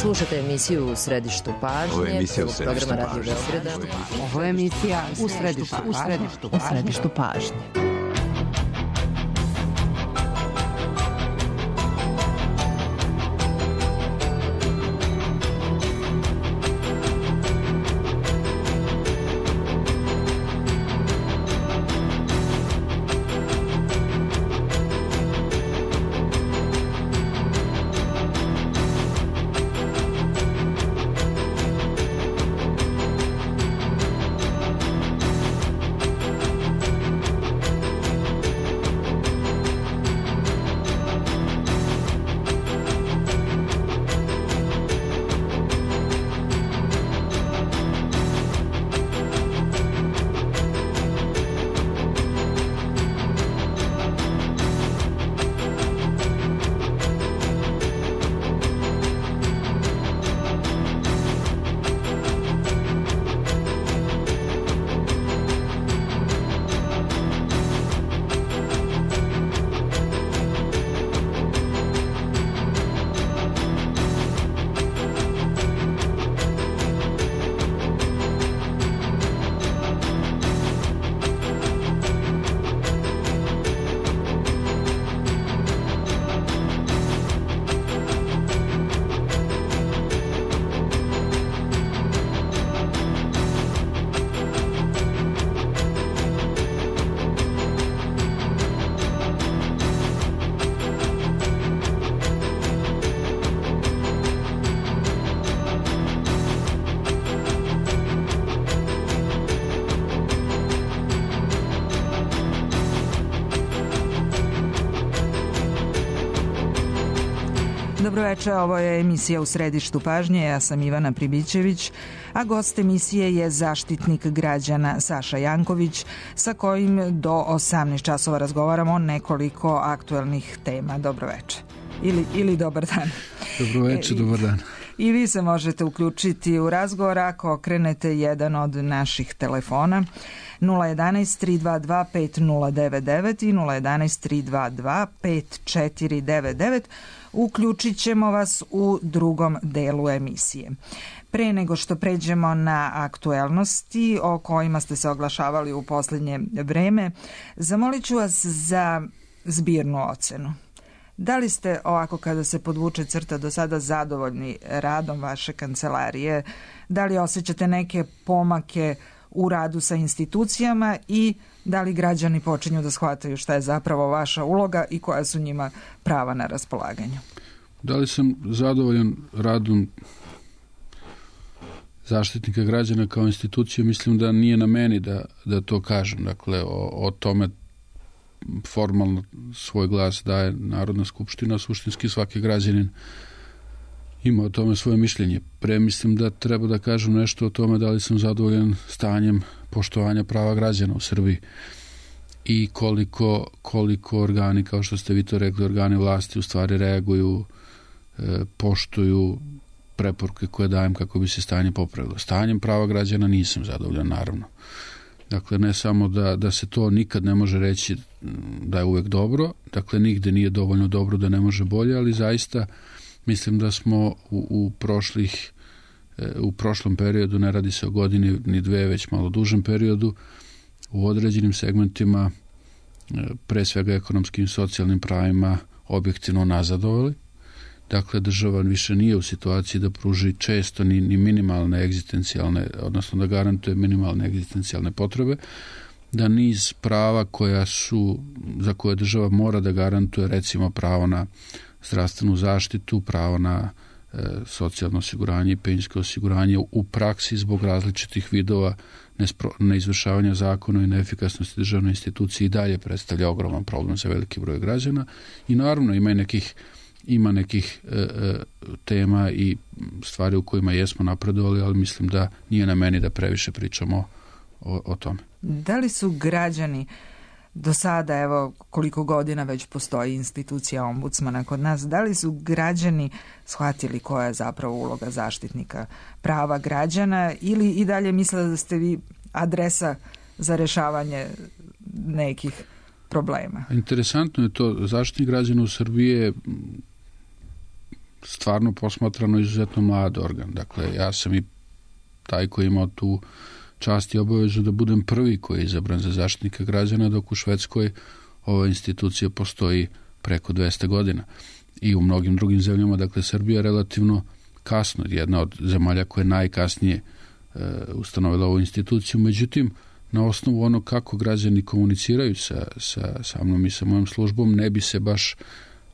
Slušate emisiju U središtu pažnje. Ovo je emisija U središtu programa Radio pažnje. Beograda. Ovo je emisija U središtu pažnje. Dobro večer, ovo je emisija U središtu pažnje, ja sam Ivana Pribićević, a gost emisije je zaštitnik građana Saša Janković, sa kojim do 18 časova razgovaramo o nekoliko aktuelnih tema. Dobro večer. Ili dobar dan. Dobro večer, dobar dan. I vi se možete uključiti u razgovor ako okrenete jedan od naših telefona 011 322 5099 i 011 322 5499. Uključit ćemo vas u drugom delu emisije. Pre nego što pređemo na aktuelnosti o kojima ste se oglašavali u posljednje vreme, zamolit ću vas za zbirnu ocenu. Da li ste, ovako kada se podvuče crta, do sada zadovoljni radom vaše kancelarije? Da li osjećate neke pomake u radu sa institucijama i da li građani počinju da shvataju šta je zapravo vaša uloga i koja su njima prava na raspolaganju? Da li sam zadovoljan radom Zaštitnika građana kao institucije? Mislim da nije na meni da to kažem. Dakle, o tome formalno svoj glas daje Narodna skupština, suštinski svaki građanin ima o tome svoje mišljenje. Mislim da treba da kažem nešto o tome da li sam zadovoljan stanjem poštovanja prava građana u Srbiji i koliko organi, kao što ste vi to rekli, organi vlasti u stvari reaguju, poštuju preporuke koje dajem kako bi se stanje popravilo. Stanjem prava građana nisam zadovoljan, naravno. Dakle, ne samo da se to nikad ne može reći da je uvek dobro, dakle, nigde nije dovoljno dobro da ne može bolje, ali zaista mislim da smo u prošlom periodu, ne radi se o godini ni dve, već malo dužem periodu, u određenim segmentima, pre svega ekonomskim i socijalnim pravima, objektivno nazadovali. Dakle, država više nije u situaciji da pruži često ni minimalne egzistencijalne, odnosno da garantuje minimalne egzistencijalne potrebe, da niz prava za koje država mora da garantuje, recimo pravo na zdravstvenu zaštitu, pravo na socijalno osiguranje i penzijsko osiguranje, u praksi zbog različitih vidova neizvršavanja zakona i neefikasnosti državne institucije i dalje predstavlja ogroman problem za veliki broj građana. I naravno ima nekih tema i stvari u kojima jesmo napredovali, ali mislim da nije na meni da previše pričamo o tome. Da li su građani do sada, evo koliko godina već postoji institucija ombudsmana kod nas, da li su građani shvatili koja je zapravo uloga zaštitnika prava građana ili i dalje misle da ste vi adresa za rešavanje nekih problema? Interesantno je to. Zaštitnik građana u Srbiji je stvarno posmatrano izuzetno mlad organ. Dakle, ja sam i taj koji imao tu čast i obavezu da budem prvi koji je izabran za Zaštitnika građana, dok u Švedskoj ova institucija postoji preko 200 godina. I u mnogim drugim zemljama, dakle, Srbija je relativno kasno, jedna od zemalja koja je najkasnije ustanovila ovu instituciju. Međutim, na osnovu ono kako građani komuniciraju sa mnom i sa mojom službom, ne bi se baš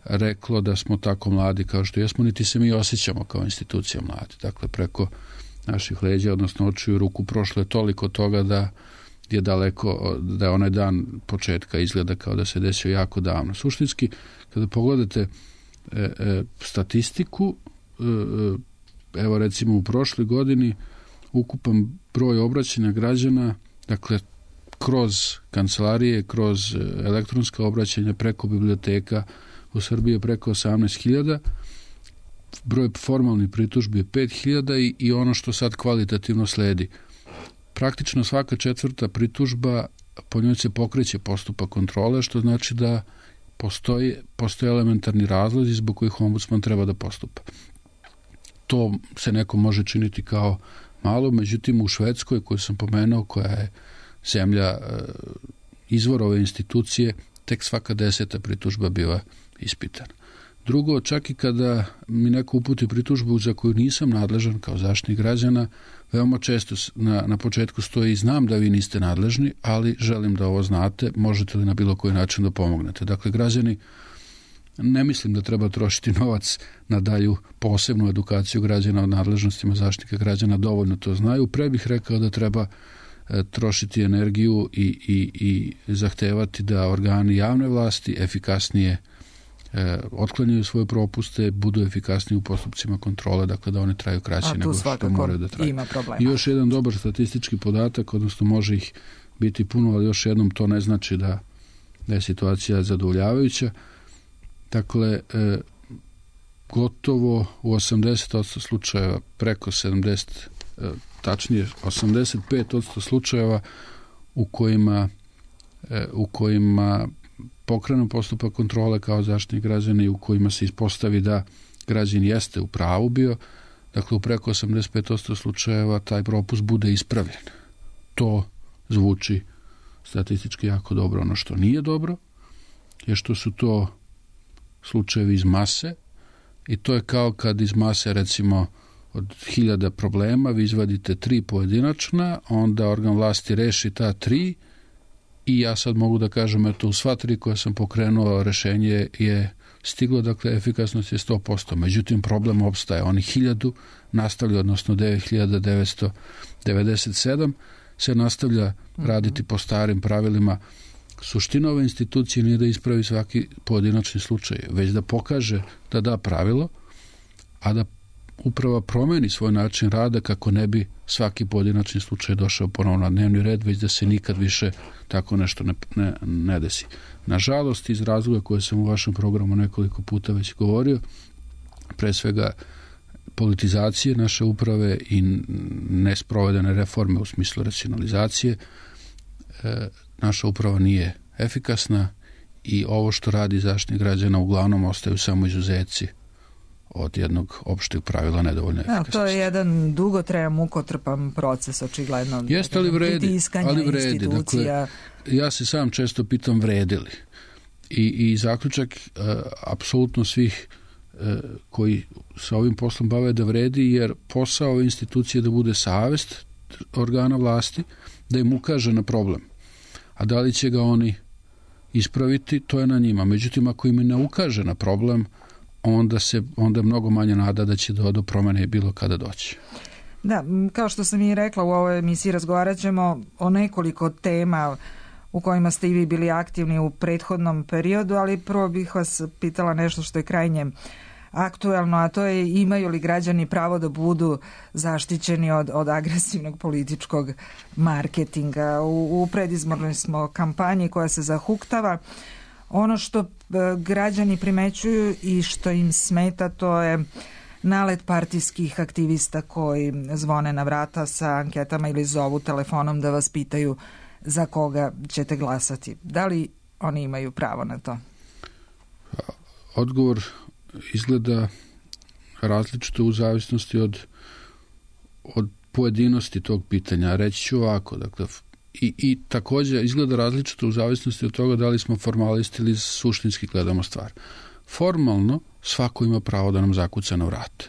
reklo da smo tako mladi kao što jesmo, niti se mi osjećamo kao institucija mladi. Dakle, preko naših leđa, odnosno očiju ruku, prošlo je toliko toga da je daleko, da je onaj dan početka izgleda kao da se desio jako davno. Suštinski, kada pogledate statistiku, evo recimo u prošloj godini ukupan broj obraćanja građana, dakle kroz kancelarije, kroz elektronska obraćanja preko biblioteka u Srbiji je preko 18.000, broj formalnih pritužbi je 5.000 i ono što sad kvalitativno sledi. Praktično svaka četvrta pritužba, po njoj se pokreće postupak kontrole, što znači da postoje elementarni razlozi zbog kojih ombudsman treba da postupa. To se neko može činiti kao malo, međutim u Švedskoj, koju sam pomenuo, koja je zemlja izvor ove institucije, tek svaka 10. pritužba biva ispitana. Drugo, čak i kada mi neko uputi pritužbu za koju nisam nadležan kao Zaštitnik građana, veoma često na početku stoji: znam da vi niste nadležni, ali želim da ovo znate, možete li na bilo koji način da pomognete. Dakle, građani, ne mislim da treba trošiti novac na dalju posebnu edukaciju građana o nadležnostima Zaštitnika građana, dovoljno to znaju. Pre bih rekao da treba trošiti energiju i zahtevati da organi javne vlasti efikasnije otklanjaju svoje propuste, budu efikasniji u postupcima kontrole, dakle da oni traju kraće nego što moraju da traju. I još jedan dobar statistički podatak, odnosno može ih biti puno, ali još jednom to ne znači da je situacija zadovoljavajuća. Dakle, gotovo u 80% slučajeva, preko 70, tačnije 85% slučajeva u kojima pokrenu postupak kontrole kao Zaštitnik građana i u kojima se ispostavi da građan jeste u pravu bio, dakle u preko 85% slučajeva taj propust bude ispravljen. To zvuči statistički jako dobro. Ono što nije dobro je što su to slučajevi iz mase i to je kao kad iz mase, recimo od 1000 problema vi izvadite 3 pojedinačna, onda organ vlasti reši ta 3 i ja sad mogu da kažem, eto, u sva 3 koje sam pokrenuo, rešenje je stiglo, dakle efikasnost je 100%. Međutim, problem opstaje. Oni 1000 nastavlja, odnosno 9997 se nastavlja raditi po starim pravilima. Suština ove institucije nije da ispravi svaki pojedinačni slučaj, već da pokaže da da pravilo, a da uprava promeni svoj način rada kako ne bi svaki pojedinačni slučaj došao ponovno na dnevni red, već da se nikad više tako nešto ne desi. Nažalost, iz razloga koje sam u vašem programu nekoliko puta već govorio, pre svega politizacije naše uprave i nesprovedene reforme u smislu racionalizacije, naša uprava nije efikasna i ovo što radi Zaštitnik građana uglavnom ostaju samo izuzeci od jednog opšteg pravila nedovoljne efikasnosti. To je jedan dugotrajan, mukotrpan proces, očigledno. Jeste, ali vredi. Dakle, ja se sam često pitam vredi li. I zaključak apsolutno svih koji sa ovim poslom bave da vredi, jer posao ove institucije da bude savest organa vlasti, da im ukaže na problem. A da li će ga oni ispraviti, to je na njima. Međutim, ako im ne ukaže na problem, onda je mnogo manje nada da će do promene bilo kada doći. Da, kao što sam i rekla, u ovoj emisiji razgovarat ćemo o nekoliko tema u kojima ste i vi bili aktivni u prethodnom periodu, ali prvo bih vas pitala nešto što je krajnje aktuelno, a to je: imaju li građani pravo da budu zaštićeni od agresivnog političkog marketinga? U predizbornoj smo kampanji koja se zahuktava. Ono što građani primećuju i što im smeta, to je nalet partijskih aktivista koji zvone na vrata sa anketama ili zovu telefonom da vas pitaju za koga ćete glasati. Da li oni imaju pravo na to? Odgovor izgleda različito u zavisnosti od pojedinosti tog pitanja. Reći ću ovako, dakle, i također izgleda različito u zavisnosti od toga da li smo formalisti ili suštinski gledamo stvar. Formalno svako ima pravo da nam zakuca na vrata.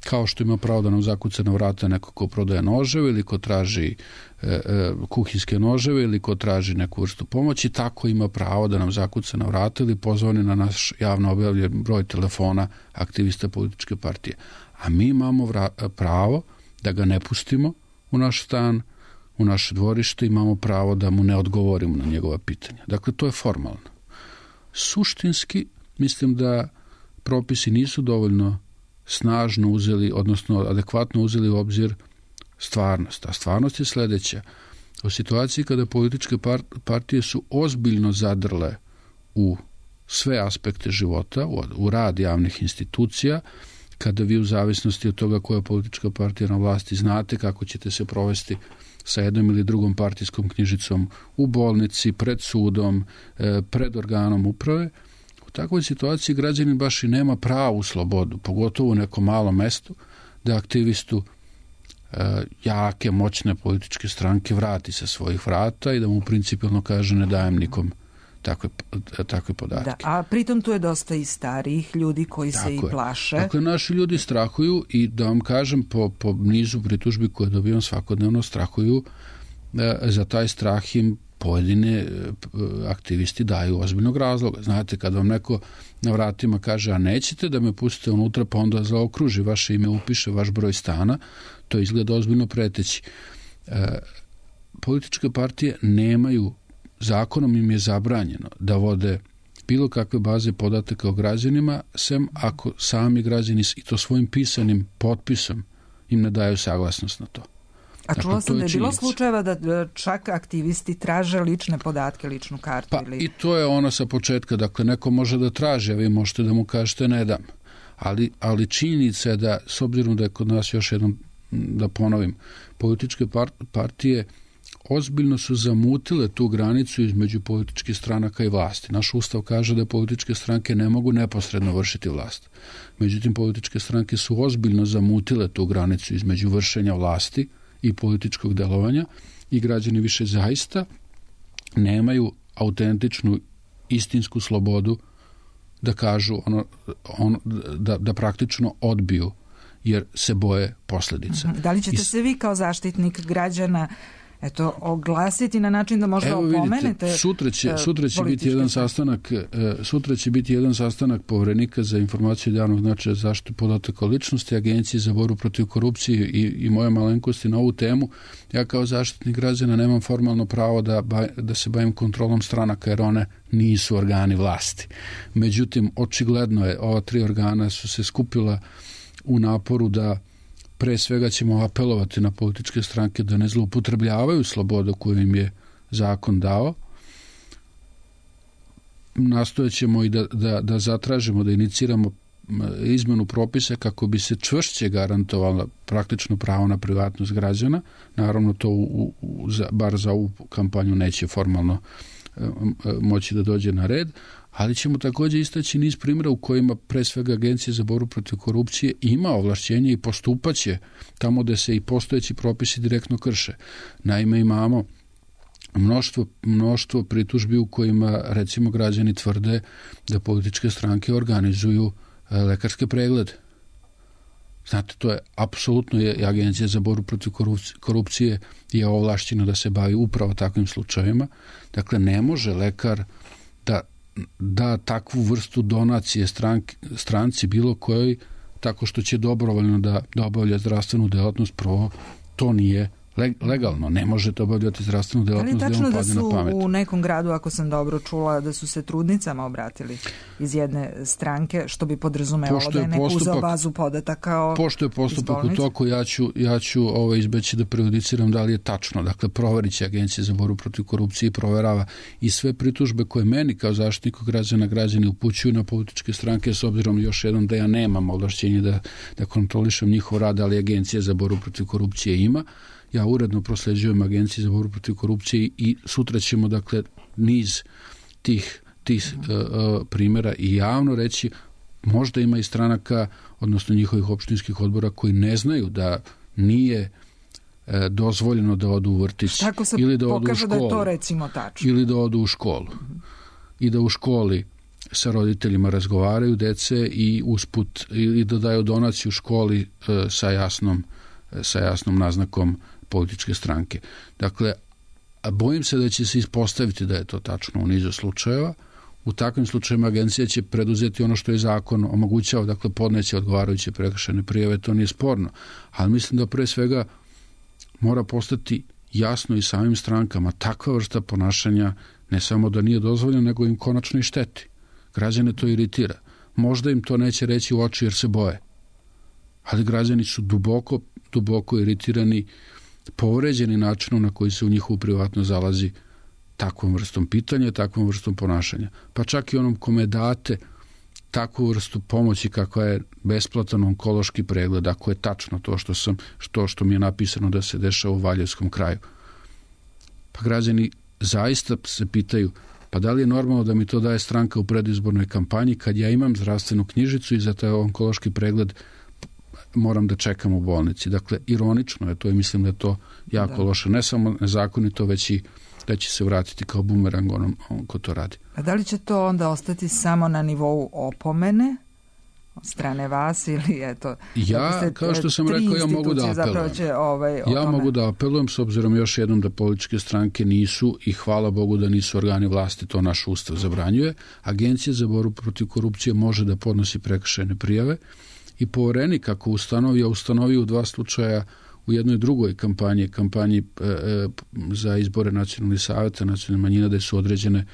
Kao što ima pravo da nam zakuca na vrata neko ko prodaje noževe ili ko traži kuhinske noževe ili ko traži neku vrstu pomoći, tako ima pravo da nam zakuca na vrata ili pozvani na naš javno objavljen broj telefona aktivista političke partije. A mi imamo pravo da ga ne pustimo u naš stan, u naše dvorište, imamo pravo da mu ne odgovorimo na njegova pitanja. Dakle, to je formalno. Suštinski, mislim da propisi nisu dovoljno snažno uzeli, odnosno adekvatno uzeli u obzir stvarnost. A stvarnost je sljedeća. U situaciji kada političke partije su ozbiljno zadrle u sve aspekte života, u rad javnih institucija, kada vi u zavisnosti od toga koja je politička partija na vlasti znate kako ćete se provesti sa jednom ili drugom partijskom knjižicom u bolnici, pred sudom, pred organom uprave, u takvoj situaciji građanin baš i nema pravu slobodu, pogotovo u nekom malom mestu, da aktivistu jake, moćne političke stranke vrati sa svojih vrata i da mu principijelno kaže ne dajem nikom takve podatke. Da, a pritom tu je dosta i starijih ljudi koji se i plaše. Dakle, naši ljudi strahuju i da vam kažem po nizu pritužbi koje dobijam svakodnevno strahuju, za taj strah im pojedine aktivisti daju ozbiljnog razloga. Znate, kad vam neko na vratima kaže a nećete da me pustite unutra, pa onda zaokruži vaše ime, upiše vaš broj stana, to izgleda ozbiljno preteći. Političke partije nemaju, zakonom im je zabranjeno da vode bilo kakve baze podataka o građanima, sem ako sami građani i to svojim pisanim potpisom im ne daju saglasnost na to. A čula sam da je bilo slučajeva da čak aktivisti traže lične podatke, ličnu kartu. Pa i to je ono sa početka, dakle neko može da traži, a vi možete da mu kažete ne dam. Ali činjenica je da, s obzirom da je kod nas, još jednom da ponovim, političke partije ozbiljno su zamutile tu granicu između političkih stranaka i vlasti. Naš ustav kaže da političke stranke ne mogu neposredno vršiti vlast. Međutim, političke stranke su ozbiljno zamutile tu granicu između vršenja vlasti i političkog delovanja i građani više zaista nemaju autentičnu, istinsku slobodu da kažu da praktično odbiju jer se boje posljedica. Da li ćete se vi kao zaštitnik građana oglasiti na način da možda opomenete? Sutra će biti jedan sastanak Poverenika za informaciju od javnog značaja za zaštitu podataka o ličnosti, Agencije za borbu protiv korupcije i moje malenkosti na ovu temu. Ja kao zaštitnik građana nemam formalno pravo da se bavim kontrolom stranaka jer one nisu organi vlasti. Međutim, očigledno je, ova 3 organa su se skupila u naporu da pre svega ćemo apelovati na političke stranke da ne zloupotrebljavaju slobodu koju im je zakon dao. Nastojat ćemo i da zatražimo, da iniciramo izmenu propisa kako bi se čvršće garantovala praktično pravo na privatnost građana. Naravno, to bar za ovu kampanju neće formalno moći da dođe na red, ali ćemo također istaći niz primjera u kojima pre svega Agencija za borbu protiv korupcije ima ovlašćenje i postupaće tamo gde se i postojeći propisi direktno krše. Naime, imamo mnoštvo pritužbi u kojima recimo građani tvrde da političke stranke organizuju lekarske preglede. Znate, to je apsolutno i Agencija za borbu protiv korupcije je ovlašćena da se bavi upravo takvim slučajevima. Dakle, ne može lekar da takvu vrstu donacije stranci bilo kojoj tako što će dobrovoljno da obavlja zdravstvenu delatnost. Prvo, to nije legalno. Ne možete obavljati zdravstvenu delatnost da vam padne na pamet. Ali je tačno da su u nekom gradu, ako sam dobro čula, da su se trudnicama obratili iz jedne stranke, što bi podrazumevalo da je neko uzeo bazu podataka pošto je postupak u toku, ja ću izbeći da prejudiciram da li je tačno. Dakle, proverit će Agencija za borbu protiv korupcije i proverava i sve pritužbe koje meni kao zaštitniku građani upućuju na političke stranke, s obzirom još jednom da ja nemam ovlašćenje da kontrolišem njihov rad, ali Agencija za borbu protiv korupcije ima. Ja uredno prosljeđujem Agenciji za borbu protiv korupcije i sutra ćemo, dakle, niz tih primjera i javno reći možda ima i stranaka, odnosno njihovih opštinskih odbora koji ne znaju da nije dozvoljeno da odu u vrtić ili da odu u školu. Da je to recimo tačno. Ili da odu u školu. I da u školi sa roditeljima razgovaraju dece i usput i da daju donaciju školi sa jasnom naznakom političke stranke. Dakle, bojim se da će se ispostaviti da je to tačno u nizu slučajeva. U takvim slučajima agencija će preduzeti ono što je zakon omogućao, dakle podneće odgovarajuće prekršajne prijave, to nije sporno. Ali mislim da pre svega mora postati jasno i samim strankama takva vrsta ponašanja ne samo da nije dozvoljeno, nego im konačno i šteti. Građane to iritira. Možda im to neće reći u oči jer se boje. Ali građani su duboko iritirani, povređeni načinom na koji se u njihovu privatnost zalazi takvom vrstom pitanja, takvom vrstom ponašanja. Pa čak i onom kome date takvu vrstu pomoći kakva je besplatan onkološki pregled, ako je tačno to što mi je napisano da se dešava u Valjevskom kraju. Pa građani zaista se pitaju, pa da li je normalno da mi to daje stranka u predizbornoj kampanji kad ja imam zdravstvenu knjižicu i za taj onkološki pregled moram da čekam u bolnici. Dakle, ironično je to i mislim da je to jako loše. Ne samo nezakonito, već i da će se vratiti kao bumerang onom ko to radi. A da li će to onda ostati samo na nivou opomene od strane vas ili eto... Ja, kao što sam rekao, ja mogu da apelujem. Ja mogu da apelujem s obzirom još jednom da političke stranke nisu i hvala Bogu da nisu organi vlasti, to naš ustav zabranjuje. Agencija za borbu protiv korupcije može da podnosi prekršajne prijave i poverenik ako ustanovi u 2 slučaja u jednoj drugoj kampanji za izbore nacionalnih savjeta nacionalnih manjina, da su određene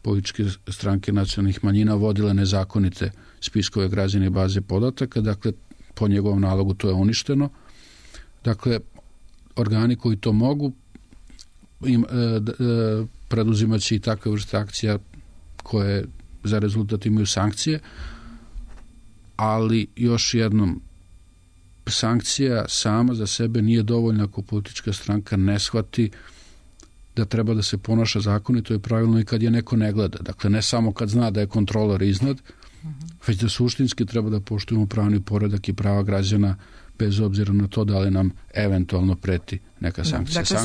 političke stranke nacionalnih manjina vodile nezakonite spiskove građana i baze podataka, dakle po njegovom nalogu to je uništeno. Dakle, organi koji to mogu preduzimaće i takve vrste akcija koje za rezultat imaju sankcije, ali još jednom, sankcija sama za sebe nije dovoljna ako politička stranka ne shvati da treba da se ponaša zakonito i pravilno i kad je neko ne gleda. Dakle, ne samo kad zna da je kontrolor iznad, već da suštinski treba da poštujemo pravni poredak i prava građana bez obzira na to da li nam eventualno preti neka sankcija. Dakle,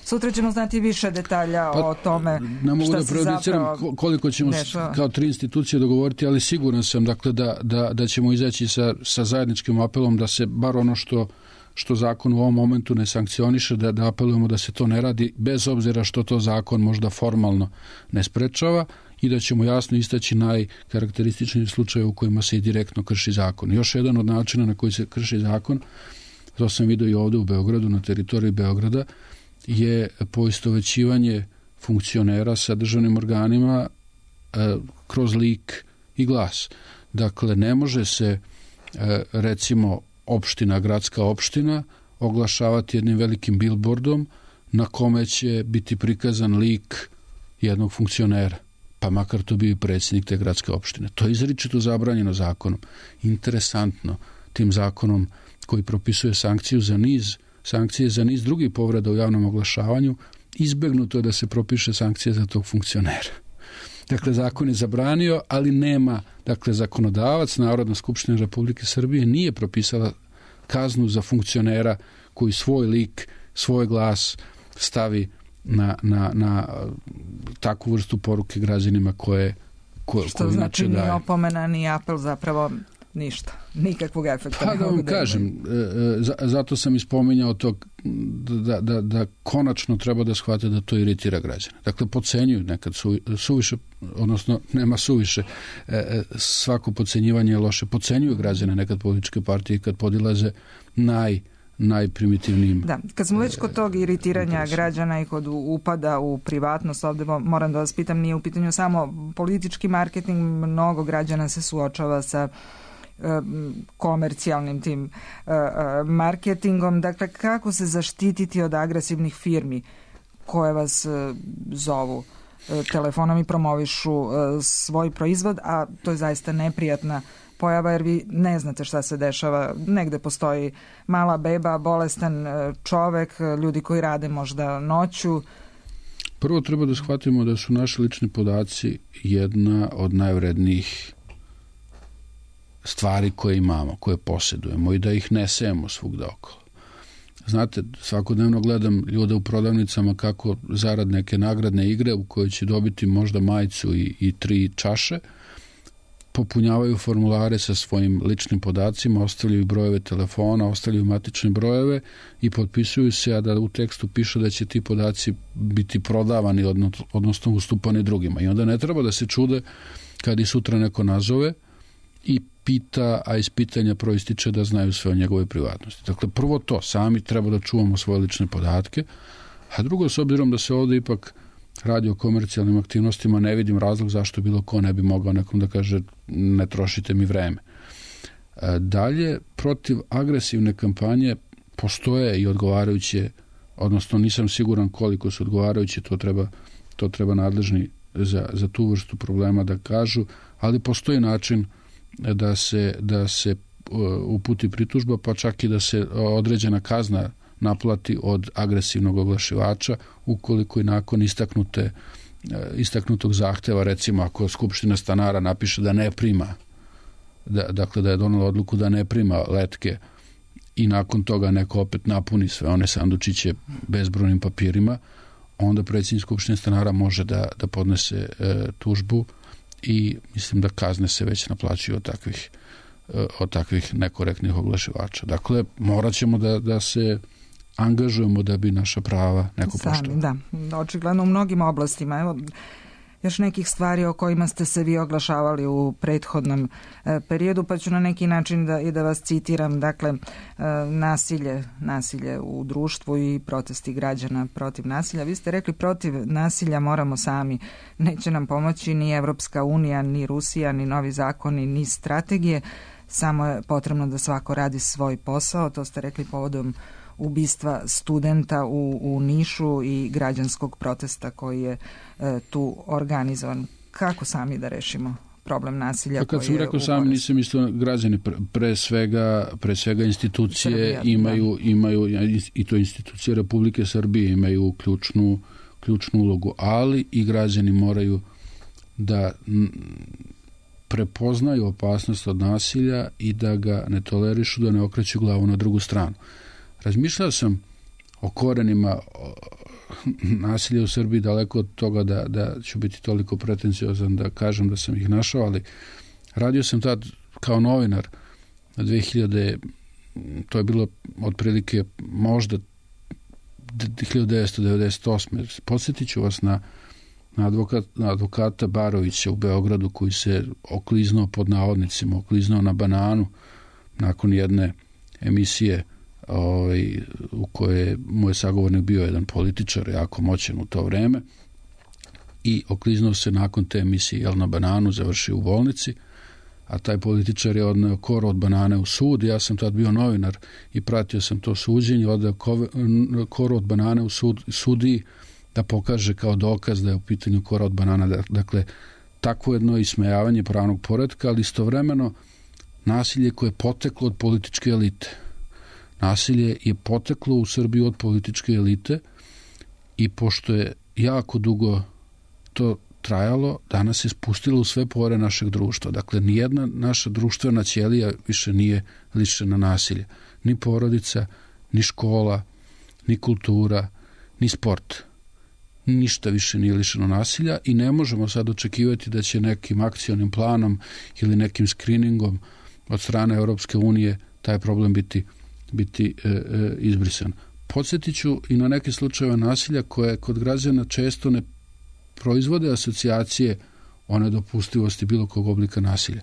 sutra ćemo znati više detalja o tome šta se zapravo koliko ćemo kao 3 institucije dogovoriti, ali siguran sam dakle, da ćemo izaći sa zajedničkim apelom da se bar ono što zakon u ovom momentu ne sankcioniše, da apelujemo da se to ne radi, bez obzira što to zakon možda formalno ne sprečava i da ćemo jasno istaći najkarakterističniji slučaje u kojima se i direktno krši zakon. Još jedan od načina na koji se krši zakon, to sam vidio i ovdje u Beogradu, na teritoriji Beograda, je poistovećivanje funkcionera sa državnim organima kroz lik i glas. Dakle, ne može se recimo gradska opština oglašavati jednim velikim billboardom na kome će biti prikazan lik jednog funkcionera, pa makar to bio i predsjednik te gradske opštine. To je izričito zabranjeno zakonom. Interesantno, tim zakonom koji propisuje sankcije za niz drugih povreda u javnom oglašavanju, izbegnuto je da se propiše sankcije za tog funkcionera. Dakle, zakon je zabranio, ali nema, dakle, zakonodavac, Narodna skupština Republike Srbije nije propisala kaznu za funkcionera koji svoj lik, svoj glas stavi na takvu vrstu poruke građanima koje što znači ni opomena, ni apel, zapravo ništa, nikakvog efekta. Pa da vam kažem, zato sam ispominjao to da konačno treba da shvate da to iritira građane. Dakle, podcenjuju nekad suviše, odnosno nema suviše, svako podcenjivanje je loše. Podcenjuju građane nekad političke partije kad podilaze najprimitivnijim. Da, kad smo već kod tog iritiranja građana i kod upada u privatnost, ovdje moram da vas pitam, nije u pitanju samo politički marketing, mnogo građana se suočava sa komercijalnim tim marketingom. Dakle, kako se zaštititi od agresivnih firmi koje vas zovu telefonom i promovišu svoj proizvod, a to je zaista neprijatna pojava jer vi ne znate šta se dešava. Negde postoji mala beba, bolestan čovek, ljudi koji rade možda noću. Prvo treba da shvatimo da su naši lični podaci jedna od najvrednijih stvari koje imamo, koje posjedujemo i da ih ne sejemo svugda okolo. Znate, svakodnevno gledam ljude u prodavnicama kako zarad neke nagradne igre u kojoj će dobiti možda majicu i 3 čaše, popunjavaju formulare sa svojim ličnim podacima, ostavljaju brojeve telefona, ostavljaju matične brojeve i potpisuju se, a da u tekstu piše da će ti podaci biti prodavani, odnosno ustupani drugima. I onda ne treba da se čude kad i sutra neko nazove i pita, a iz pitanja proističe da znaju sve o njegove privatnosti. Dakle, prvo to, sami treba da čuvamo svoje lične podatke, a drugo, s obzirom da se ovdje ipak radi o komercijalnim aktivnostima, ne vidim razlog zašto bilo ko ne bi mogao nekom da kaže ne trošite mi vreme. Dalje, protiv agresivne kampanje postoje i odgovarajuće, odnosno nisam siguran koliko su odgovarajuće, to treba nadležni za tu vrstu problema da kažu, ali postoji način da se uputi pritužba, pa čak i da se određena kazna naplati od agresivnog oglašivača ukoliko i nakon istaknutog zahteva, recimo ako Skupština stanara napiše da ne prima, dakle da je donela odluku da ne prima letke i nakon toga neko opet napuni sve one sandučiće bezbrojnim papirima, onda predsjednik Skupštine stanara može da podnese tužbu i mislim da kazne se već naplaćuju od takvih nekorektnih oglašivača. Dakle, morat ćemo da se angažujemo da bi naša prava neko poštovao. Da, očigledno u mnogim oblastima. Evo, još nekih stvari o kojima ste se vi oglašavali u prethodnom periodu, pa ću na neki način da vas citiram. Dakle, nasilje u društvu i protesti građana protiv nasilja. Vi ste rekli protiv nasilja moramo sami. Neće nam pomoći ni Evropska unija, ni Rusija, ni novi zakoni, ni strategije. Samo je potrebno da svako radi svoj posao. To ste rekli povodom ubistva studenta u Nišu i građanskog protesta koji je tu organizovan. Kako sami da rešimo problem nasilja? Pa kad sam rekao sami, nisam mislio građani, pre svega institucije imaju i to institucije Republike Srbije imaju ključnu ulogu, ali i građani moraju da prepoznaju opasnost od nasilja i da ga ne tolerišu, da ne okreću glavu na drugu stranu. Razmišljao sam o korenima nasilja u Srbiji, daleko od toga da ću biti toliko pretenciozan da kažem da sam ih našao, ali radio sam tad kao novinar 2000, to je bilo otprilike možda 1998. Podsjetit ću vas na advokata Barovića u Beogradu koji se okliznuo pod navodnicima, okliznuo na bananu nakon jedne emisije u kojoj moj sagovornik bio jedan političar jako moćan u to vreme i okliznuo se nakon te emisije na bananu, završio u bolnici, a taj političar je odneo koru od banane u sud. Ja sam tad bio novinar i pratio sam to suđenje, odneo koru od banane u sudiji da pokaže kao dokaz da je u pitanju kora od banana. Dakle, takvo jedno ismejavanje pravnog poretka, ali istovremeno nasilje koje je poteklo od političke elite. Nasilje je poteklo u Srbiju od političke elite i pošto je jako dugo to trajalo, danas se spustilo u sve pore našeg društva. Dakle, nijedna naša društvena ćelija više nije lišena nasilja. Ni porodica, ni škola, ni kultura, ni sport. Ništa više nije lišeno nasilja i ne možemo sad očekivati da će nekim akcionim planom ili nekim screeningom od strane Europske unije taj problem biti izbrisan. Podsjetit ću i na neke slučajeve nasilja koje kod građana često ne proizvode asocijacije o nedopustivosti bilo kog oblika nasilja.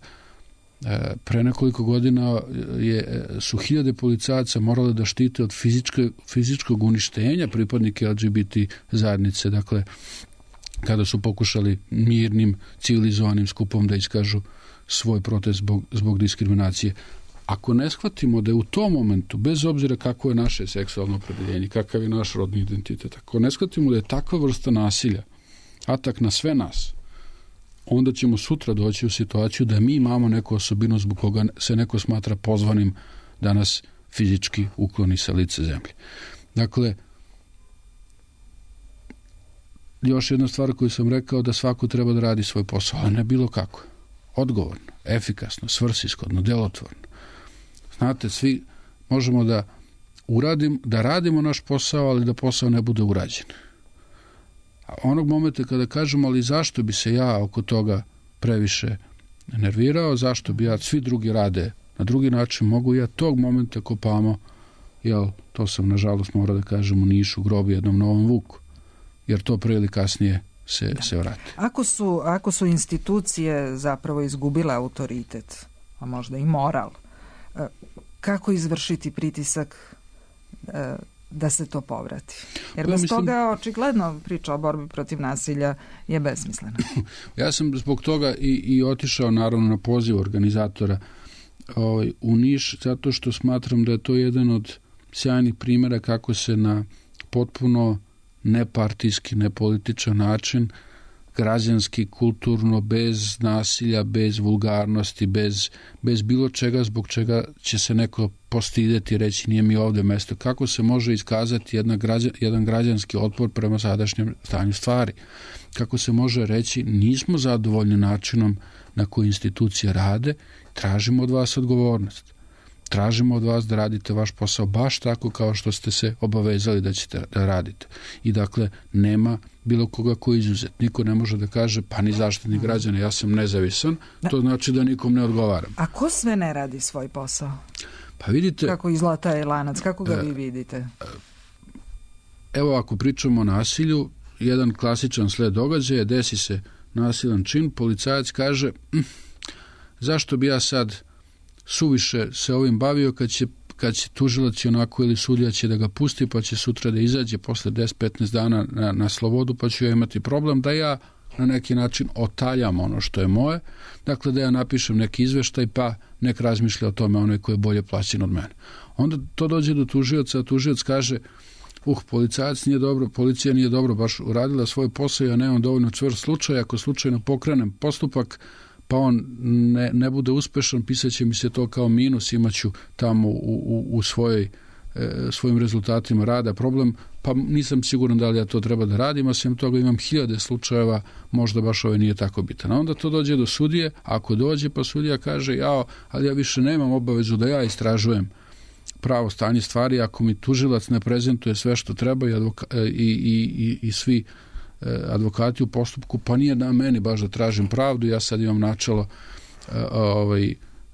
Pre nekoliko godina su hiljade policajaca morale da štite od fizičkog uništenja pripadnike LGBT zajednice, dakle, kada su pokušali mirnim, civilizovanim skupom da iskažu svoj protest zbog diskriminacije. Ako ne shvatimo da je u tom momentu, bez obzira kako je naše seksualno opredeljenje, kakav je naš rodni identitet, ako ne shvatimo da je takva vrsta nasilja atak na sve nas, onda ćemo sutra doći u situaciju da mi imamo neku osobinu zbog koga se neko smatra pozvanim da nas fizički ukloni sa lice zemlje. Dakle, još jedna stvar koju sam rekao, da svako treba da radi svoj posao, ali ne bilo kako. odgovorno, efikasno, svrsishodno, delotvorno. Znate, svi možemo da radimo naš posao, ali da posao ne bude urađen. A onog momenta kada kažemo, ali zašto bi se ja oko toga previše nervirao, zašto bi ja, svi drugi rade na drugi način, mogu ja tog momenta kopamo, to sam nažalost mora da kažem u Nišu, grobi jednom novom vuku, jer to pre ili kasnije se vrati. Ako su institucije zapravo izgubile autoritet, a možda i moral, kako izvršiti pritisak da se to povrati? Jer bez toga očigledno priča o borbi protiv nasilja je besmislena. Ja sam zbog toga i otišao naravno na poziv organizatora u Niš, zato što smatram da je to jedan od sjajnih primjera kako se na potpuno nepartijski, nepolitičan način, građanski, kulturno, bez nasilja, bez vulgarnosti, bez bilo čega zbog čega će se neko postideti i reći nije mi ovdje mesto. Kako se može iskazati jedan građanski otpor prema sadašnjem stanju stvari? Kako se može reći nismo zadovoljni načinom na koji institucije rade, tražimo od vas odgovornost. Tražimo od vas da radite vaš posao baš tako kao što ste se obavezali da ćete da radite. I dakle, nema bilo koga ko je izuzet. Niko ne može da kaže, pa ni zaštitnik građana, ja sam nezavisan, to znači da nikom ne odgovaram. A ko sve ne radi svoj posao? Pa vidite... Kako izgleda taj lanac, kako ga vi vidite? Evo, ako pričamo o nasilju, jedan klasičan sled događaja, desi se nasilan čin, policajac kaže, zašto bi ja sad suviše se ovim bavio kad će tužilac onako ili sudija će da ga pusti pa će sutra da izađe posle 10-15 dana na slobodu pa ću ja imati problem da ja na neki način otaljam ono što je moje, dakle da ja napišem neki izveštaj pa nek razmišlja o tome onaj koji je bolje plaćen od mene. Onda to dođe do tužioca, a tužioc kaže policajac nije dobro, policija nije dobro baš uradila svoj posao, ja nemam dovoljno čvrst slučaj, ako slučajno pokrenem postupak pa on ne bude uspešan, pisat će mi se to kao minus, imaću tamo u svojim rezultatima rada problem, pa nisam siguran da li ja to treba da radim, a sem toga imam 1000 slučajeva, možda baš ovaj nije tako bitan. A onda to dođe do sudije, ako dođe pa sudija kaže, ali ja više nemam obavezu da ja istražujem pravo stanje stvari, ako mi tužilac ne prezentuje sve što treba i svi advokati u postupku, pa nije na meni baš da tražim pravdu, ja sad imam načelo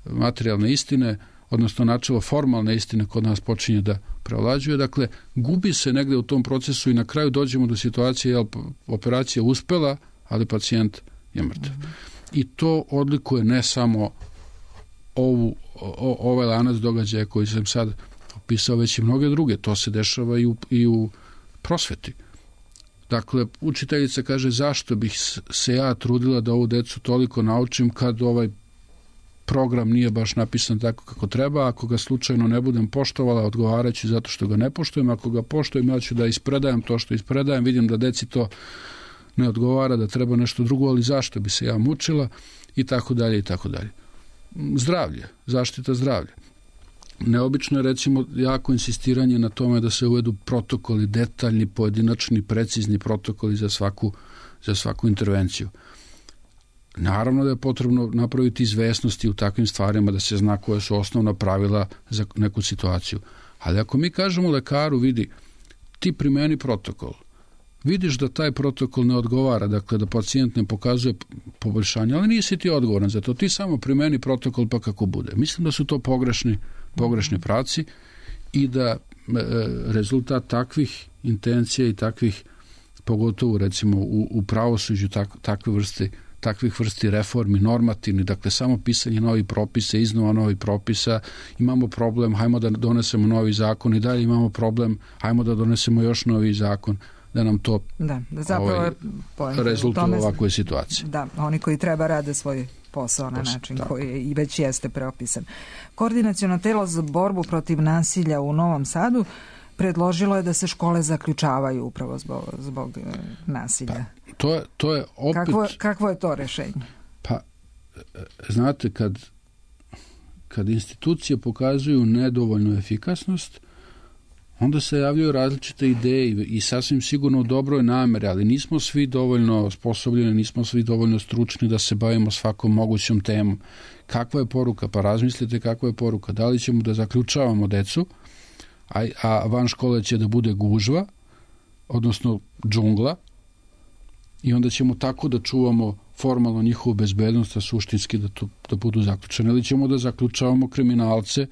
materijalne istine, odnosno načelo formalne istine kod nas počinje da preovlađuje. Dakle, gubi se negde u tom procesu i na kraju dođemo do situacije, operacija uspela, ali pacijent je mrtav. I to odlikuje ne samo ovaj lanac događaja koji sam sad opisao, već i mnoge druge. To se dešava i u prosveti. Dakle, učiteljica kaže zašto bih se ja trudila da ovu decu toliko naučim kad ovaj program nije baš napisan tako kako treba, ako ga slučajno ne budem poštovala, odgovaraću zato što ga ne poštujem, ako ga poštujem ja ću da ispredajem to što ispredajem, vidim da deci to ne odgovara, da treba nešto drugo, ali zašto bi se ja mučila i tako dalje i tako dalje. Zdravlje, zaštita zdravlja. Neobično je recimo jako insistiranje na tome da se uvedu protokoli, detaljni, pojedinačni, precizni protokoli za svaku intervenciju. Naravno da je potrebno napraviti izvesnosti u takvim stvarima da se zna koje su osnovna pravila za neku situaciju. Ali ako mi kažemo lekaru, vidi, ti primeni protokol, vidiš da taj protokol ne odgovara, dakle da pacijent ne pokazuje poboljšanje, ali nisi ti odgovoran za to, ti samo primeni protokol pa kako bude. Mislim da su to pogrešni pravci i da rezultat takvih intencija i takvih, pogotovo recimo u pravosuđu takvih vrsti reformi, normativni, dakle samo pisanje novih propisa, iznova novih propisa, imamo problem, hajmo da donesemo novi zakon i dalje imamo problem, hajmo da donesemo još novi zakon, da nam to rezultat ovakve situacije. Da, oni koji treba rade svoj posao na način koji i već jeste preopisan. Koordinaciono telo za borbu protiv nasilja u Novom Sadu predložilo je da se škole zaključavaju upravo zbog nasilja. To je opet... Kakvo je to rešenje? Pa, znate, kad institucije pokazuju nedovoljnu efikasnost, onda se javljaju različite ideje i sasvim sigurno u dobroj nameri, ali nismo svi dovoljno sposobljeni, nismo svi dovoljno stručni da se bavimo svakom mogućom temom. Kakva je poruka? Pa razmislite kakva je poruka. Da li ćemo da zaključavamo decu, a van škole će da bude gužva, odnosno džungla, i onda ćemo tako da čuvamo formalno njihovu bezbednost, a suštinski da budu zaključene. Ili ćemo da zaključavamo kriminalce,